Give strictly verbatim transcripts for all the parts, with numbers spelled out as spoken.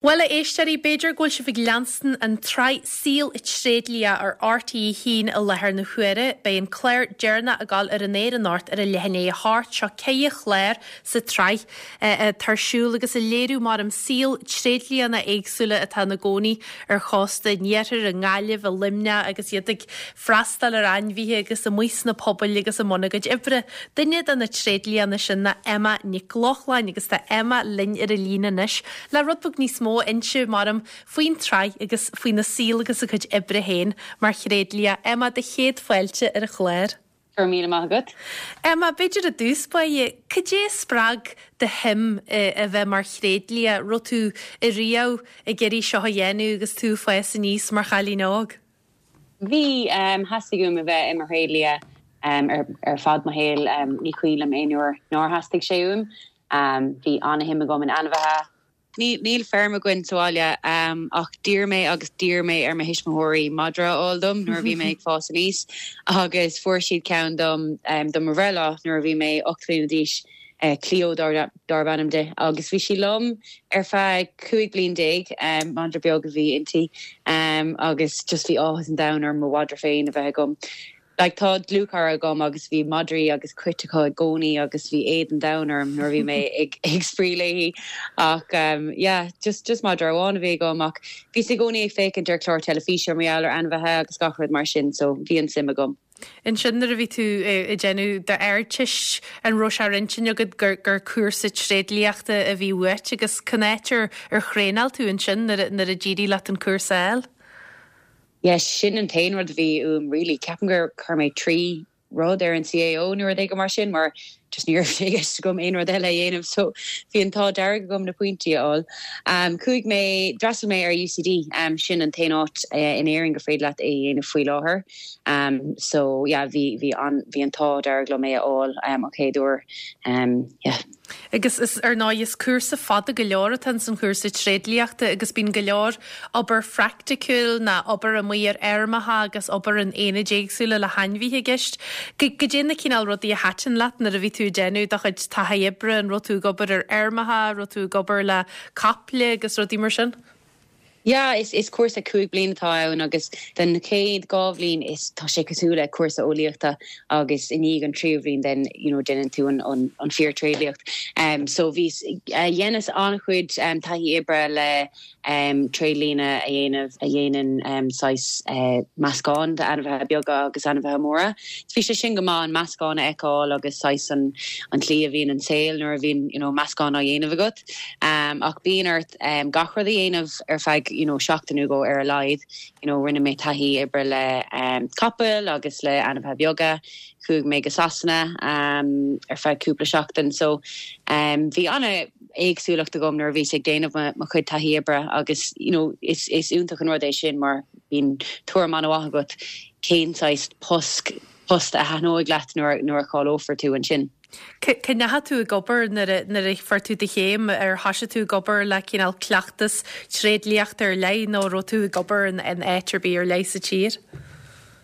Bhuel a éisteoirí b'fhéidir go bhfuil sibh ag leanstan an tsraith Saol Tréidlia ar RTÉ a haon i láthair na huaire, beidh an clár deireanach ag dul ar an aer anocht ar a leath i ndiaidh a hocht seo ceithre chlár sa tsraith atá ar siúl agus ag léiriú mar an saol tréidlianna éagsúla atá ina gcónaí ar chósta an iarthair i nGaillimh i Luimneach agus iad ag freastal ar ainmhithe agus amuigh sna pobail agus i mbun a gcuid oibre. Duine de na tréidlianna sin ná Emma Nic Lochlainn agus tá Emma linn ar an líne anois le rud beag níos mó a inse maram faoin tsraith agus faoina saol agus a cuid oibre féin mar thréidlia Emma do chéad fáilte ar an chlár. Go raibh míle maith agat. Emma b'fhéidir i dtús báire, cad é a spreag do shuim a bheith mar thréidlia, raibh tú riamh ag iarraidh seo a dhéanamh agus tú ag fás aníos mar chailín óg. Bhí um, theastaigh uaim a bheith i mo thréidlia um, ar, ar fad mo shaol um, ní cuimhin liom aon uair nár theastaigh sé uaim. Um, bhí an-shuim agam in ainmhithe. Níl feirm againn sa bhaile um, ach d'iarr mé agus d'iarr mé ar mo thuismitheoirí madra a fháil dom nuair a bhí mé ag fás aníos agus fuair siad ceann dom um, dom mo bhreithlá nuair a bhí mé ocht mbliana d'aois uh, Cleo darb ainm di agus bhí sí liom ar feadh cúig bliain déag um, madra beag a bhí inti um, agus just bhí áthas an domhain orm mo mhadra féin a bheith agam. Like tá dlúthchara agam agus bhí madraí agus cait acu i gcónaí agus bhí éad an domhain orm nuair bhí mé ag ag spraoi léi ach um, yeah, just just madra amháin a bhí agam ach bhí i gcónaí ag féachaint ar chlár teilifíse mar gheall ar ainmhithe agus gach rud mar sin so bhí an suim agam. Ansin nuair a bhí tú ag déanamh d'Ardteist an raibh sé ar intinn agat gur gur cúrsa tréidliachta a bhí uait agus cén áit ar ar thraenáil tú ansin nuair a d'éirigh leat an cúrsa a fháil? Yes, sin an t-aon rud a bhí uaim really ceapaim gur chuir mé trí rud ar an CAO nó rud éigin mar sin mar just ní raibh sé agam aon rud eile a dhéanamh so bhí an t-ádh dearg agam na pointí a fháil. Um, Chuaigh mé d'fhreastail mé ar UCD um, sin an t-aon áit uh, in Éirinn gur féidir leat é a dhéanamh faoi láthair. Um, so yeah, bhí bhí an bhí an t-ádh dearg liom é a fháil um, an chéad uair um, yeah. Agus is ar ndóigh is cúrsa fada go leor atá san chúrsa tréidliachta agus bíonn go leor obair phraiticiúil ná obair amuigh ar fheirmeacha agus obair in aonaid éagsúla le hainmhithe i gceist. Cad é na cineál rudaí a thaitin leat nuair a bhí tú ag déanamh do chuid taithí oibre an raibh tú ag obair ar fheirmeacha, raibh tú ag obair le caiple agus rudaí mar sin? Ja, is is cúrsa cúig bliana atá ann agus den chéad dhá bhliain is tá sé cosúil le cúrsa eolaíochta agus i ndiaidh an tríú bliain den you know, déanann tú an, an, an fíor-tréidliacht. Um, so bhí uh, dheineas an-chuid um, taithí oibre le um, tréidlianna a dhéanamh a dhéanann um, saghas uh, meascán de ainmhithe beaga agus ainmhithe móra. Bhí sé sin go maith an meascán a fheiceáil agus saghas an, an tslí a bhíonn an saol nuair a bhíonn you know, meascán á dhéanamh agat. Um, ach bíonn ort um, gach rud a dhéanamh ar feadh you know, seachtain nó dhó ar a laghad you know, rinne mé taithí oibre le um, capaill agus le ainmhithe beaga, chuaigh mé go Sasana um, ar feadh cúpla seachtain so um, bhí an-éagsúlacht agam nuair a bhí ag déanamh mo chuid taithí oibre agus you know, is, is iontach an rud é sin mar bíonn tuairim an-mhaith agat cén saghas post post a thaitneoidh leat nuair nuair a cháileofar tú ansin. Cá ndeachaigh tú ag obair nuair a fuair tú do chéim ar thosaigh tú ag obair le cineál cleachtas tréidliachta ar leith nó raibh tú ag obair in in áit ar bith ar leith sa tír?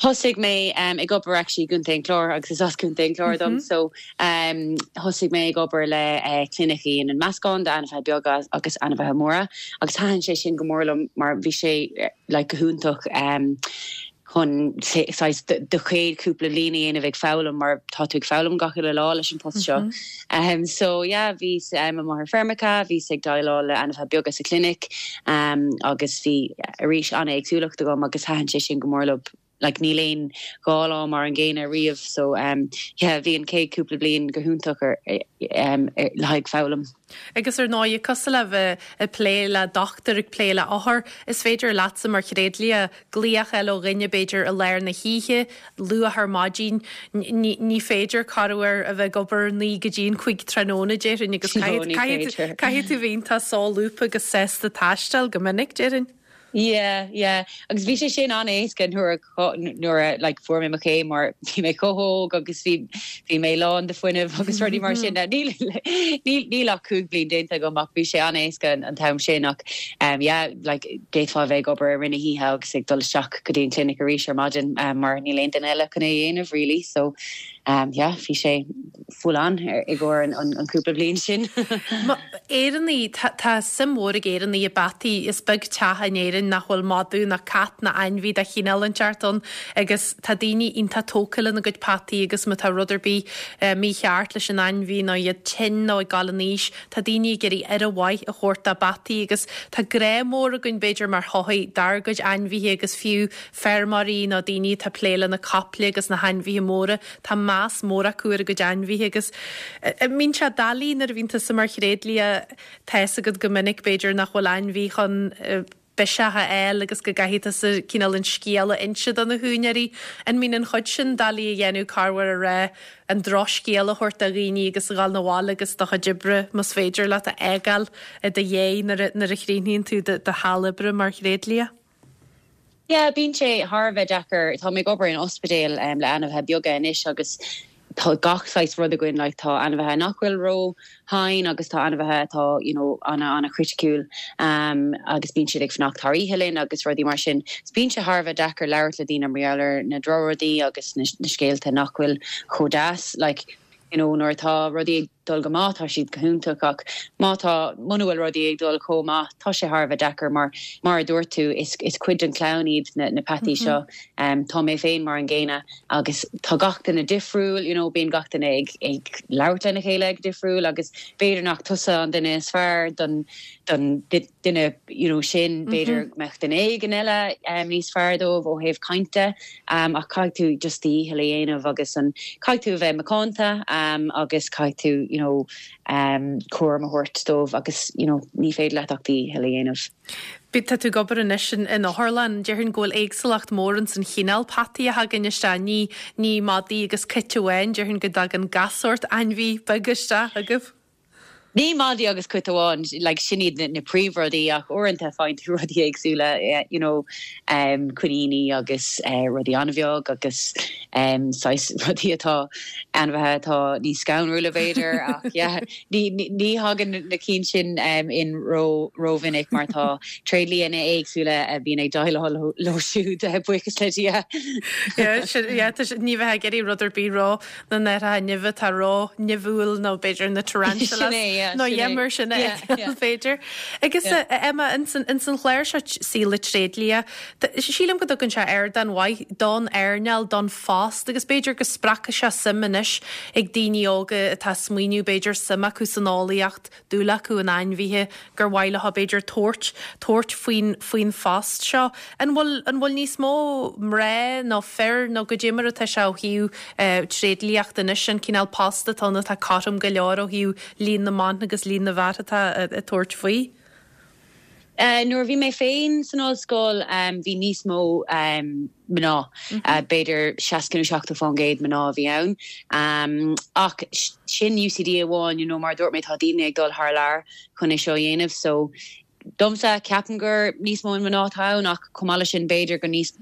Thosaigh mé um, ag obair actually Contae an Chláir agus is as Contae an Chláir dom mm -hmm. so um, thosaigh mé ag obair le uh, clinic a dhéanann meascán de ainmhithe beaga agus ainmhithe móra agus thaitin sé sin go mór liom mar bhí sé like, go hiontach um, chun do chéad cúpla bliain a dhéanamh ag foghlaim mar tá tú ag foghlaim gach uile lá leis an post seo. Mm -hmm. um, so yeah, bhí um, mar feirmeacha, bhí ag déileáil le ainmhithe beaga sa clinic um, agus bhí arís an-éagsúlacht agam agus thaitin sé sin go mór liom. Like níl aon dhá lá mar an gcéanna riamh so um, yeah, bhí an chéad cúpla bliain go hiontach ar um, le haghaidh foghlaim. Agus ar ndóigh cosúil le bheith ag plé le dochtúir ag plé le othar, is féidir leatsa mar thréidlia glaoch eile ó dhuine b'fhéidir i lár na hoíche luath ar maidin ní féidir corruair a bheith ag obair naoi go dtí an cúig tráthnóna déarfainn agus caithfidh tú bheith iontach solúbtha agus sásta taisteal go minic déarfainn. Yeah, yeah. Agus bhí sé sin an-éasca nuair nuair like, fuair mé mo chéim mar bhí mé chomh hóg agus bhí bhí mé lán de fuinneamh agus rudaí mar sin níl níl ach cúig bliana déanta agam ach bhí sé an-éasca an t-am sin ach um, yeah, like, d'fhéadfá bheith ag obair i rith na hoíche agus ag dul isteach go dtí an clinic arís ar maidin um, mar níl aon duine eile chun é dhéanamh really so um, yeah, bhí sé full on i gcomhair an, an, an cúpla bliain sin. Éireannaigh tá suim mhór ag Éireannaigh i bpeataí is beag teach in Éirinn nach bhfuil madadh ná cat ná ainmhí de chineál inteacht ann agus tá daoine iontach tógtha lena gcuid peataí agus má tá rud ar bith eh, mícheart leis an ainmhí nó iad tinn nó ag dul in aois, tá daoine ag iarraidh aire mhaith a thabhairt dá bpeataí agus tá grá mór againn b'fhéidir mar shochaí dár gcuid ainmhithe agus fiú feirmeoirí nó daoine atá ag plé le na caiple agus na hainmhithe móra tá meas mór acu ar a gcuid ainmhithe agus mbíonn sé doiligh nuair a bhíonn tusa mar thréadlia tá a fhios agat go minic b'fhéidir nach bhfuil ainmhí chun biseach a fháil agus go gcaithfidh tusa cineál an scéal a inse do na húinéirí. An mbíonn an chuid sin doiligh a dhéanamh corruair a rá an drochscéal a thabhairt do dhaoine agus a ghabháil 'na bhaile agus do chuid oibre más féidir leat a fhágáil i do dhiaidh nuair a chríochnaíonn tú do sheal oibre mar thréadlia. Yeah, bíonn sé thar a bheith deacair tá mé ag obair in ospidéal um, le ainmhithe beaga anois agus tá gach saghas rud againn like, tá ainmhithe nach bhfuil ró-thinn agus tá ainmhithe atá you know, ana ana criticiúil um, agus bíonn siad ag fanacht thar oíche linn agus rudaí mar sin. Bíonn sé thar a bheith deacair labhairt le daoine mar gheall ar na drochrudaí agus na, na scéalta nach bhfuil chomh deas like, you know, nuair atá rudaí ag dul go maith tá siad go hiontach ach má tá muna bhfuil rudaí ag dul chomh maith tá sé thar a bheith deacair mar mar a dúirt tú is, is cuid den chlann iad na, na peataí mm -hmm. seo um, tá mé féin mar an gcéanna agus tá gach duine difriúil you know, bíonn gach duine ag, ag labhairt lena chéile ag difriúil agus b'fhéidir nach tusa an duine is fearr don don duine you know, sin b'fhéidir mm -hmm. mbeadh duine éigin eile um, níos fearr dóibh ó thaobh cainte um, ach caithfidh tú just dícheall a dhéanamh agus an caithfidh tú bheith macánta um, agus caithfidh tú you know, um, cúram a thabhairt dóibh agus you know, ní féidir leat ach dícheall a dhéanamh. Bí tá tú ag obair anois in in otharlann, déarfainn go bhfuil éagsúlacht mór in san chineál peataí a thagann isteach ní ní madaí agus cait amháin, déarfainn go dtagann gach sórt ainmhí beag isteach agaibh. Ní madaí agus cait amháin like, sin iad na, na príomhrudaí ach uaireanta faigheann tú rudaí éagsúla eh, you know, um, coiníní agus uh, rudaí an-bheag agus um, rudaí atá ainmhithe atá níos scanrúla b'fhéidir ach yeah, ní, ní, ní thagann na cinn sin um, in ró rómhinic mar tá tréadlianna éagsúla a bhíonn ag déileáil leo siúd eh, buíochas le Dia. Ní bheith ag iarraidh rud ar bith rá na neithe nimhe tá ró nimhiúil nó b'fhéidir na tarantulas nó dhémar sin féidir. Agus Emma in san chlár seo Saol Tréidlia, sílim go dtugann sé ardán mhaith don earnáil don phost agus b'fhéidir go spreagfaidh sé suim anois ag daoine óga atá smaoineamh b'fhéidir suim acu san eolaíocht dúil acu in ainmhithe gur mhaith leo b'fhéidir tabhairt tabhairt faoin faoin phost seo. An bhfuil an bhfuil níos mó mná nó fir nó goidé mar atá sé ó thaobh uh, tréidliacht anois an cineál post atá atá cothrom go leor ó thaobh líon na mban agus líon na bhfear atá ag tabhairt faoi. Uh, nuair bhí mé féin san ollscoil um, bhí níos mó um, mná mm -hmm. uh, b'fhéidir seasca nó seachtó faoin gcéad mná bhí ann um, ach sin UCD amháin you know, mar dúirt mé tá daoine ag dul thar lear chun é seo dhéanamh so domsa ceapaim gur níos mó mná ann ach chomh sin b'fhéidir go níos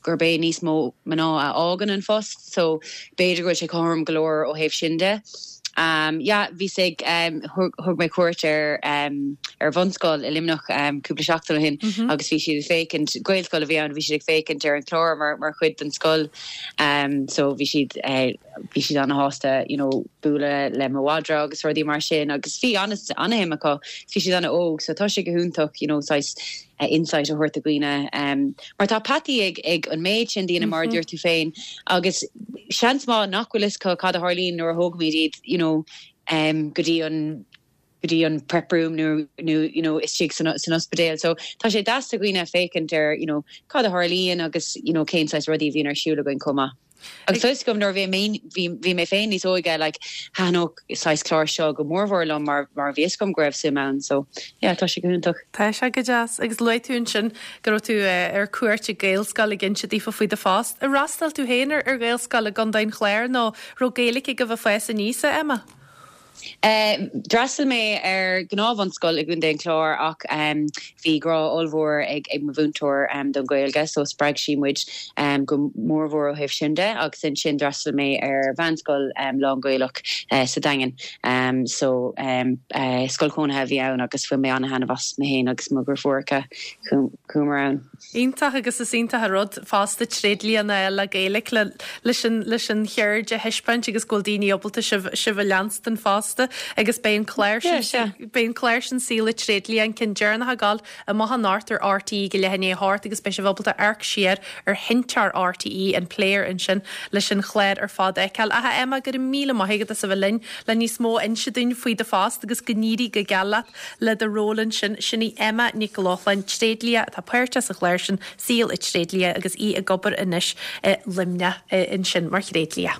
gurb é níos mó mná a fhágann an phost so b'fhéidir go bhfuil sé cothrom go leor ó thaobh sin de. Um, yeah, bhí ag um, thug mé cuairt ar um, ar bhunscoil i Luimneach um, cúpla seachtain ó shin mm -hmm. agus bhí siad féachaint Gaelscoil a bhí ann bhí siad ag féachaint ar an chlár mar mar chuid den scoil um, so bhí siad uh, bhí siad an-sásta you know, bualadh le mo mhadra agus rudaí mar sin agus bhí an-suim acu bhí siad an-óg so tá sé go hiontach you know, saghas uh, insight a thabhairt do dhaoine um, mar tá peataí ag ag an méid sin daoine mar mm -hmm. dúirt tú féin agus seans maith nach bhfuil fhios cad a tharlaíonn nuair a thógaimid iad you know, um, go dtí an go dtí an prep room nó nó you know istigh san san ospidéal so tá sé deas do dhaoine féachaint ar you know cad a tharlaíonn agus you know cén saghas rudaí bhíonn ar siúl againn chomh maith. Agus tá gom nuair bhí bhí mé féin níos óige like thaitneodh saghas clár seo go mórmhór liom mar mar bhí fhios agam go raibh suim ann so yeah, tá sé go hiontach. Tá sé go deas agus luaigh tú ansin go raibh tú eh, ar cuairt ag Gaelscoil ag inse daofa faoi do phost. Ar fhreastail tú féin ar ar Ghaelscoil i gContae an Chláir nó raibh Gaeilge agaibh ag fás aníos Emma? D'fhreastail mé ar ghnáthbhunscoil i gContae an Chláir ach um, bhí grá ollmhór ag ag mo mhúinteoir um, don Ghaeilge, so spreag sí muid um, go mórmhór ó thaobh sin de agus ansin d'fhreastail mé ar mheánscoil um, lán-Ghaelach uh, sa Daingean. Um, so um, uh, scoil chónaithe a bhí ann agus bhain mé an-taitneamh as mé féin agus mo dheirfiúracha chuamar ann. Iontach agus is iontach an rud fosta tréidlia le Gaeilge le leis an leis an cheird a thaispeáint agus go bhfuil daoine ábalta sibh sibh a leanstan fosta agus beidh an clár beidh an clár sin Saol an Tréidlia an ceann deireanach ag gabháil amach anocht ar RTÉ go leath i ndiaidh a hocht agus beidh sibh ábalta amharc siar ar sheinnteoir RTÉ an player ansin leis an chlár ar fad a fheiceáil. Aha Emma go raibh míle maith agat as a bheith linn le níos mó a inse dúinn faoi do phost agus go n-éirí go geal leat le do ról ansin sin í Emma Nic Lochlainn tréidlia atá páirteach sa chlár sin Saol an Tréidlia agus í ag obair anois i Luimneach ansin mar thréidlia.